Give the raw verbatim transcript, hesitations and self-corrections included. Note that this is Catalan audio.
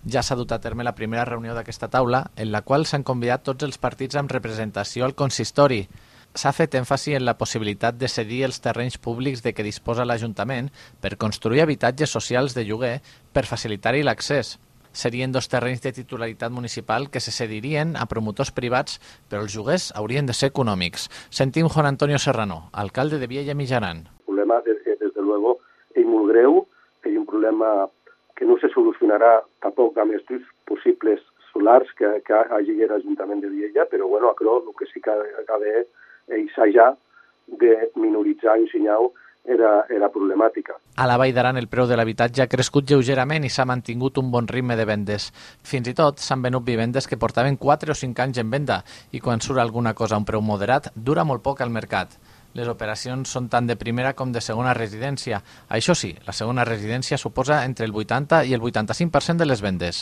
Ja s'ha dut a terme la primera reunió d'aquesta taula, en la qual s'han convidat tots els partits amb representació al consistori. S'ha fet èmfasi en la possibilitat de cedir els terrenys públics de què disposa l'Ajuntament per construir habitatges socials de lloguer per facilitar-hi l'accés. Serien dos terrenys de titularitat municipal que se cedirien a promotors privats, però els lloguers haurien de ser econòmics. Sentim Juan Antonio Serrano, alcalde de Viella Mijaran. El problema, desde, desde luego, es muy greu, es un problema que no se solucionarà tampoc amb els possibles solars que, que hagi l'Ajuntament de Viella, però bueno, crec que el que sí que ha d'haver és ja de minoritzar i ensenyar Era, era problemàtica. A la Vall d'Aran el preu de l'habitatge ha crescut lleugerament i s'ha mantingut un bon ritme de vendes. Fins i tot s'han venut vivendes que portaven quatre o cinc anys en venda i quan surt alguna cosa a un preu moderat dura molt poc al mercat. Les operacions són tant de primera com de segona residència. Això sí, la segona residència suposa entre el vuitanta i el vuitanta-cinc per cent de les vendes.